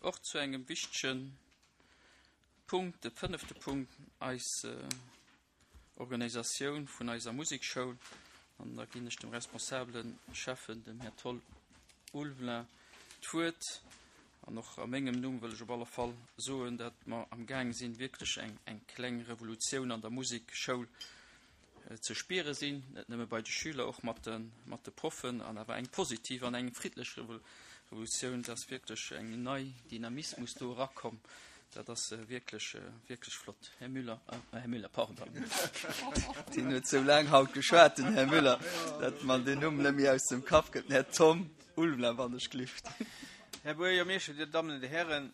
och zu engem wichtege Punkt, de fënnefte Punkt, eis Organisatioun vun eiser Musekschoul. An da ginn ech dem responsabele Schäffen, dem Här Toll Ulvelin, d'Wuert. An och a mengem Numm wëll ech op alle Fall soen, datt mer am Gaang sinn, wierklech eng, eng kleng Revolutioun an der Musekschoul ze spiere sinn, net nëmme bei de Schüler, och mat de, mat de Proffen, an awer eng positiv an eng friddlech Revolutioun, et ass wierklech eng nei Dynamismus do erakomm. Dat ass wierklech, wierklech flott. Här Müller, Här Müller, pardon, deen huet sou laang haut geschwat, den Här Müller, datt mer den Numm net méi aus dem Kapp gëtt. Den Här Tom Ulmler, wann ech glift. Här Buergermeeschter, Dir Dammen an Dir Hären,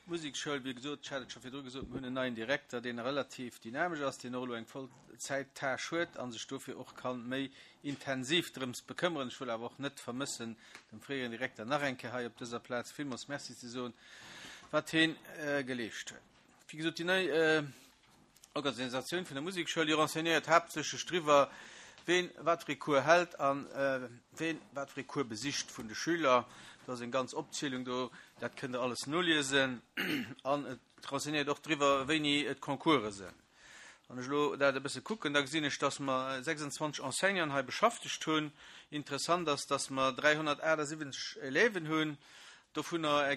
d'Musekschoul, wéi gesot, ech hat et scho virdru gesot, mir hunn en neien Direkter, deen relativ dynamesch ass, deen och elo eng voll Zäittâche huet a sech dofir och ka méi intensiv drëms bekëmmeren. Ech wëll awer och net vermëssen, dem fréieren Direkter nach eng Kéier hei op dëser Plaz villmools Merci ze soen, wat hien geleescht huet. Wéi gesot, déi nei Organisatioun vun der Musekschoul, déi renseignéiert haaptsächlech driwwer, ween wat fir ee Cours hält a ween wat fir ee Cours besicht vun de Schüler. Do ass eng ganz Opzielung do, dat kënnt Der alles noliesen. An et renseignéiert och driwwer, wéini d'Concourse sinn. Wann ech elo dat e bësse kucken, da gesinn ech, dass mer 26 Enseignanten hei beschaftegt hunn. Interessant ass, dass mer 378 Élèven hunn, dovunner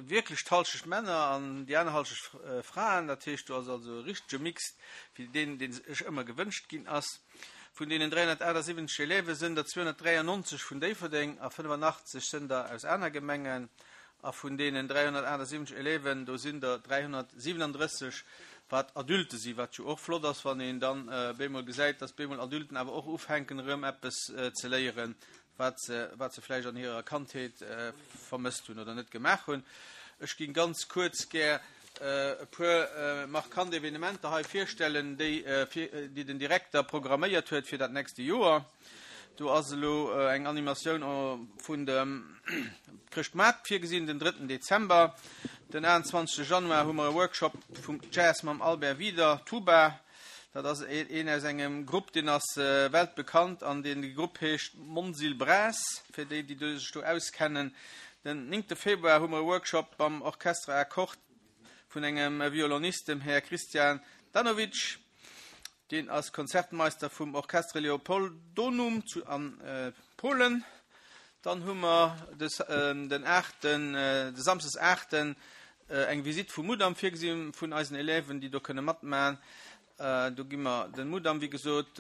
wierklech d'Halschecht Männer an déi aner Halschecht Fraen. Dat heescht, do ass also e richtege Mix wéi deen, dee sech ëmmer gewënscht ginn ass. Vun deenen 378 Élève sënn der 293 vun Déifferdeng a 85 sënn der aus aner Gemengen. A vun deenen 378 Élèven, do sinn der 337, wat Adulte sinn, wat jo och flott ass, wann een dann bemol gesäit, dass bemol Adulten awer och ufänken erëm eppes ze léieren, wat se, wat se vläicht an hirer Kandheet vermësst hunn oder net gemaach hunn. Ech géing ganz kuerz gär e puer markant Evenementer hei virstellen, déi, déi den Direkter programméiert huet fir dat nächste Joer. Do ass elo eng Animatioun vun dem Chrëschtmaart virgesinn, den drëtten Dezember. Den 28 Januar hu mer e Workshop vum Jazz mam Albert Wieder, Tuba. Dat ass een aus engem Grupp, deen ass weltbekannt an deen Grupp heescht Monsil Brass, fir déi, déi sech do auskennen. Den néngte Februar hu mer e Workshop mam Orchestre à cordes vun engem Violonist, dem Här Christian Danovic. Deen ass Konzertmeister vum Orchestre Leopoldonum zu an Polen. Dann hu mer den aachten, de Samsdes aachten eng Visitt vum Mudam virgesinn vun eisen Élèven, déi do kënne matmaen. Do gi mer den Mudam, wéi gesot,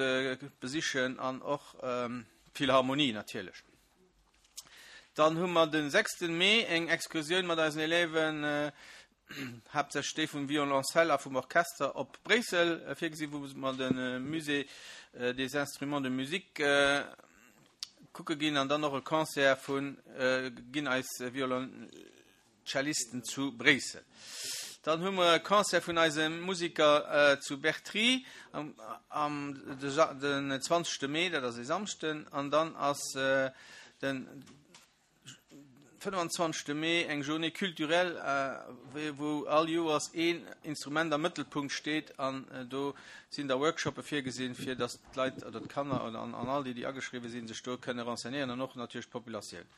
besichen an och d'Philharmonie natierlech. Dann hu mer de sechsten Mee eng Excursioun mat eisen Élèven, haaptsächlech déi vum Violoncelle a vum Orchester, op Bréissel virgesinn, wou mer de Musée des Instruments de Musique kucke ginn an dann och e Concert vu ginn eis Violoncellisten zu Bréissel. Dann hu mer e Concert vun eise Musiker zu Bertry am den 20. Mee, dat ass e Samschden, an dann ass den 25. Mee eng Journée culturelle, wou all Joers een Instrument am Mëttelpunkt steet an do sinn da Workshoppe virgesinn, fir datt d'Leit oder d'Kanner oder an all déi, déi ageschriwwe sinn, sech do kënne renseignéieren an och natierlech d'Populatioun.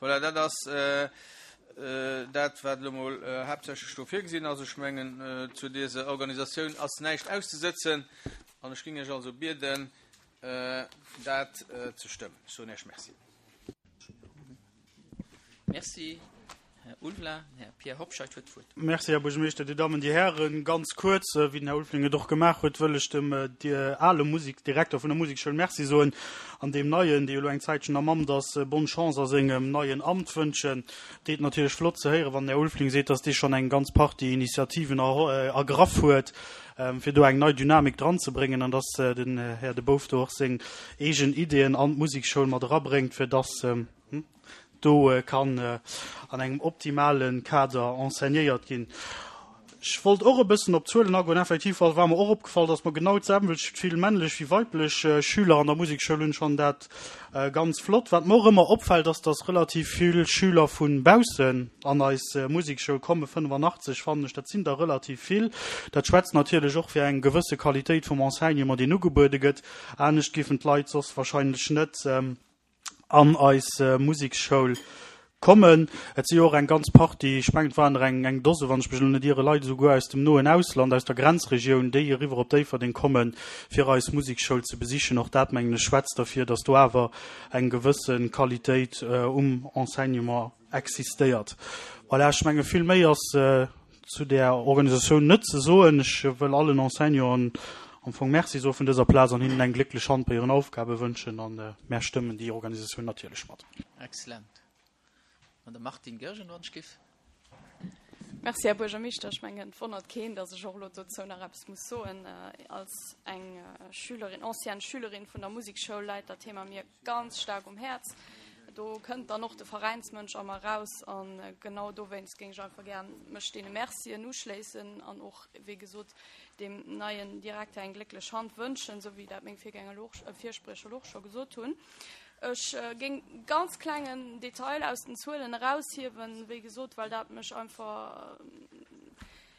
Voilà, dat ass dat, wat elo mol haaptsächlech do virgesinn ass. Ech mengen, zu dëser Organisatioun ass näischt auszesëtzen an ech géing Iech also bieden, dat ze stëmmen. Ech soen Iech Merci. Merci, Här Ulveling. Här Pierre Hobscheit huet d'Wuert. Merci, Här Buergermeeschter, Dir Dammen, Dir Hären. Ganz kuerz, wéi den Här Ulveling et och gemaach huet, wëll ech dem ale Musekdirekter vun der Musekschoul Merci soen an deem neien, dee jo elo eng Zäitchen am Amt ass, bonne Chance a sengem neien Amt wënschen. Deet natierlech flott ze héieren, wann den Här Ulveling seet, dass dee schonn eng ganz Partie Initiativen ergraff huet, fir do eng nei Dynamik dranzebréngen an dass den Här De Boof do och seng eegen Ideeën an d'Musekschoul mat erabréngt, fir dass do kann an engem optimale Kader enseignéiert ginn. Ech wollt och e bëssen op d'Zuelen agoen. Effektiv war mer och opgefall, dass mer genau d'selwecht vill männlech wéi weiblech Schüler an der Musekschoul hunn. Ech fannen dat ganz flott. Wat mer och ëmmer opfält, ass, dass relativ vill Schüler vu baussen an eis Musekschoul kommen. 85 fannen ech, dat sinn der relativ vill. Dat schwätzt natierlech och fir eng gewësse Qualitéit vum Enseignement, deen ugebuede gëtt. Anescht géifen d'Leit soss wahrscheinlech net an eis Musekschoul. Kommen. Et si jo och eng ganz Partie, ech mengen, et waren der eng, eng Dose, wann ech mech elo net iere, Leit esouguer aus dem noen Ausland, aus der Grenzregioun, déi eriwwer op Déifferdeng kommen, fir eis Musekschoul ze besichen. Och dat, mengen ech, schwätzt derfir, dass do awer eng gewësse Qualitéit um Enseignement existéiert. Voilà, ech menge vill méi ass zu där Organisatioun net ze soen. Ech wëll allen Enseignanten am Fong Merci soe vun dëser Plaz an hinnen eng glécklech Hand bei hiren Aufgabe wënschen. A mär stëmmen déi Organisatioun natierlech mat. Excellent. Madame Martine Goergen, wann ech giff. Merci, Här Buergermeeschter. Ech mengen, et wonnert keen, datt ech och elo dozou nach eppes muss soen. Als eng Schülerin, ancienne Schülerin vun der Musekschoul läit dat Thema mir ganz staark um Häerz. Do kënnt dann och de Veräinsmënsch a mer eraus. A genau dowéinst géing ech einfach gär mech deene Mercien uschléissen an och, wéi gesot, deem neien Direkter eng glécklech Hand wënschen, esou wéi dat meng Virgänger elo och, Virspriecher elo och scho gesot hunn. Ech géing ganz klengen Detail aus den Zuelen eraushiewen, wéi gesot, well dat mech einfach,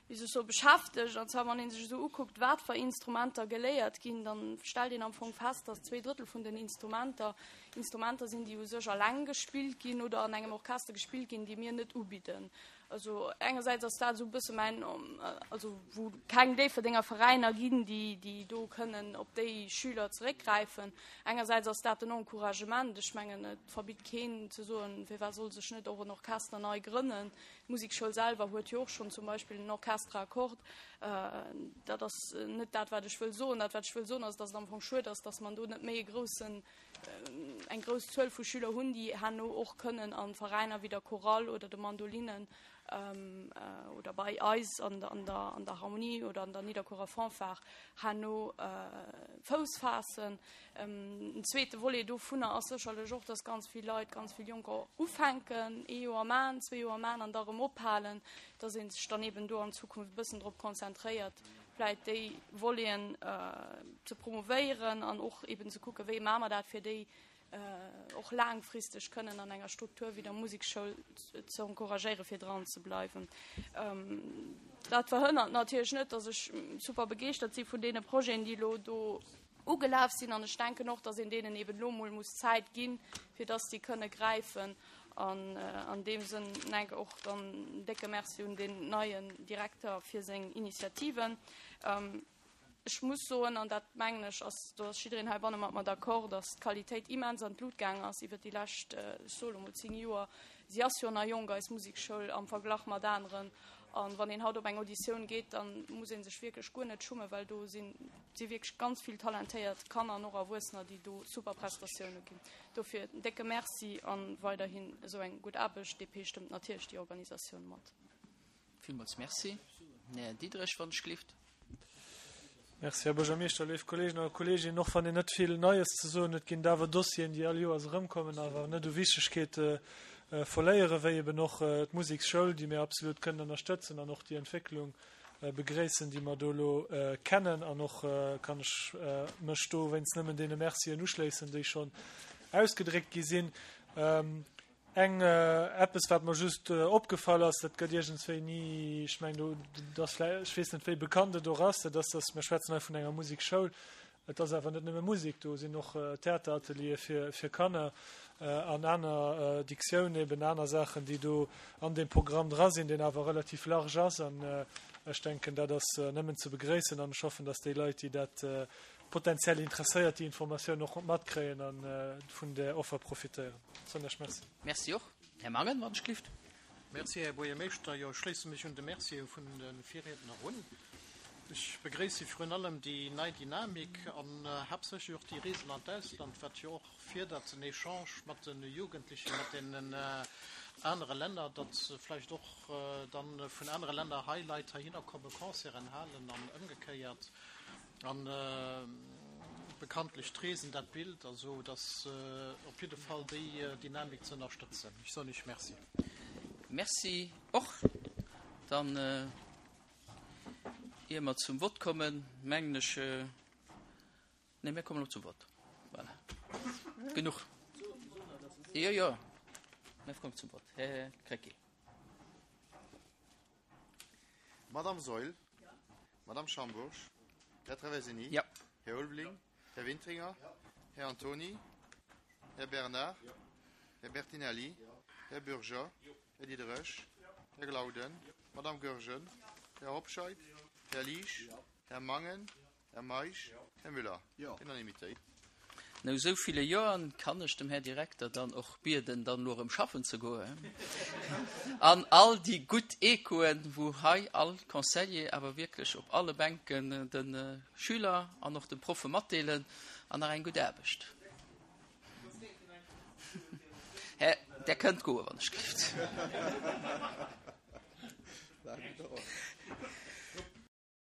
wéi soll ech soen, beschäftegt. An zwar, wann ee sech esou ukuckt, wat fir Instrumenter geléiert ginn, da stellt een am Fong fest, dass 2/3 vun den Instrumenter Instrumenter sinn, déi u sech alleng gespillt ginn oder an engem Orchester gespillt ginn, déi mir net ubidden. Also engersäits ass dat esou e bësse mäin, also wou keng Déifferdenger Veräiner ginn, déi, déi do kënnen op déi Schüler zeréckgräifen. Engersäits ass dat den Encouragement. Ech mengen, et verbitt keen ze soen, firwat soll sech net och en Orchester nei grënnen. D'Musekschoul selwer huet jo och schonn zum Beispill en Orchestre à cordes. Dat ass net dat, wat ech wëll soen. Dat, wat ech wëll soen, ass, datt et am Fong schued ass, datt man do net méi e groussen, eng grouss Zuel vu Schüler hunn, déi herno och kënnen a Veräiner wéi der Chorale oder de Mandolinen oder bei eis an der, an der, an der Harmonie oder an der Nidderkuerer Fanfare herno Fouss faassen. En zweete Volet dovunner ass sécherlech och, dass ganz vill Leit, ganz vill Jonker ufänken, ee Joer man, zwee Joer man an da erëm ophalen, dass ee sech dann eben do an Zukunft e bëssen drop konzentréiert, vläit déi Voleten ze promovéieren an och eben ze kucken, wéi maache mer dat, fir déi och laangfristeg kënnen an enger Struktur wéi der Musekschoul ze encouragéieren, fir dran ze bleiwen. Dat verhënnert natierlech net, dass ech super begeeschtert si vun deene Projeten, déi elo do ugelaf sinn. An ech denken och, dass een deenen eben elo emol muss Zäit ginn, fir dass déi kënne gräifen. An an deem Sënn enke och dann en décke Merci un deen neien Direkter fir seng Initiativen. Ech muss soen, an dat mengen ech ass, do ass jiddereen heibanne mat mer d'accord, dass d'Qualitéit immens an d'Lut gaang ass iwwert déi lescht, ech soe lo mol 10 Joer. Si ass jo nach jonk, eis Musekschoul, am Verglach mat aneren. An wann een haut op eng Auditioun geet, da muss ee sech wierklech guer net schummen, well do sinn si wierklech ganz vill talentéiert Kanner an och Erwuessener, déi do super Prestatioune ginn. Dofir en décke Merci a weiderhin esou eng gutt Aarbecht. DP stëmmt natierlech déi Organisatioun mat. Villmools Merci. Här Diderich, wann ech gelift. Merci, Här Buergermeeschter, léif Kolleegen a Kolleeginnen. Och wann een net vill Neies ze soen huet, ginn et awer Dossieren, déi all Joers erëmkommen, awer net u Wichtegkeet verléieren, wéi eben och d'Museksschoul, déi mir absolut kënnen ënnerstëtzen an och déi Entwécklung begréissen, déi mer do elo kennen. An och kann ech mech dowéinst nëmmen deene Mercien uschléissen, déi schonn ausgedréckt gi sinn. Eng, eppes wat mer just opgefall ass, dat gëtt iergendswéi ni, ech mengen do, dat ass vläicht, ech weess net wéi bekannt et och ass, dat ass, dass mir schwätzen hei vun enger Musekschoul, et ass awer net nëmme Musek, do sinn och Theaterateliere fir, fir Kanner an aner Dictioun, eben aner Saachen, déi do an deem Programm dra sinn, deen awer relativ large ass an ech denken, dat ass nëmmen ze begréissen an ech hoffen, dass déi Leit, déi dat potenziell Interesséiert déi Informatioun och matkréien a vun där Offer profitéieren. Soen lech Merci. Merci och. Här Mangen, wann ech glift. Merci, Här Buergermeeschter. Jo, ech schléisse mech un de Mercië vun de Virriedner un. Ech begréisse virun allem déi nei Dynamik an haaptsächlech och déi Reesen an d'Ausland, wat jo och férdert den Echange mat de Jugendlechen, mat deenen anere Länner, datt vläicht och dann vun anere Länner hei Leit heihinner kommen, Concerten halen an ëmgekéiert. An bekanntlech d'Reesen dat Bild, also et ass op jidde Fall déi Dynamik ze ënnerstëtzen. Ech soen Iech Merci. Merci och. Dann, ier mer zum Vott kommen, mengen ech, nee, mir kommen elo zum Vott. Voilà. Genuch. Jo, jo, mir kommen zum Vott. Här Krecké. Madame Saeul. Madame Schambourg. Här Traversini. Ja. Här Ulveling. Här Wintringer. Här Antony. Här Bernard. Här Bertinelli. Här Bürger. Här Diderich. Här Glauden. Madame Goergen. Här Hobscheit. Här Liesch. Här Mangen. Här Meisch. Här Müller. Unanimitéit. No esou ville Joern kann ech dem Här Direkter dann och bieden, dann elo erëm schaffen ze goen. An all déi gutt Echoen, wou hei all Conseiller awer wierklech op alle Bänken de Schüler an och de Proffe matdeelen, an nach eng gutt Aarbecht. Här, Der kënnt goen, wann ech gelift.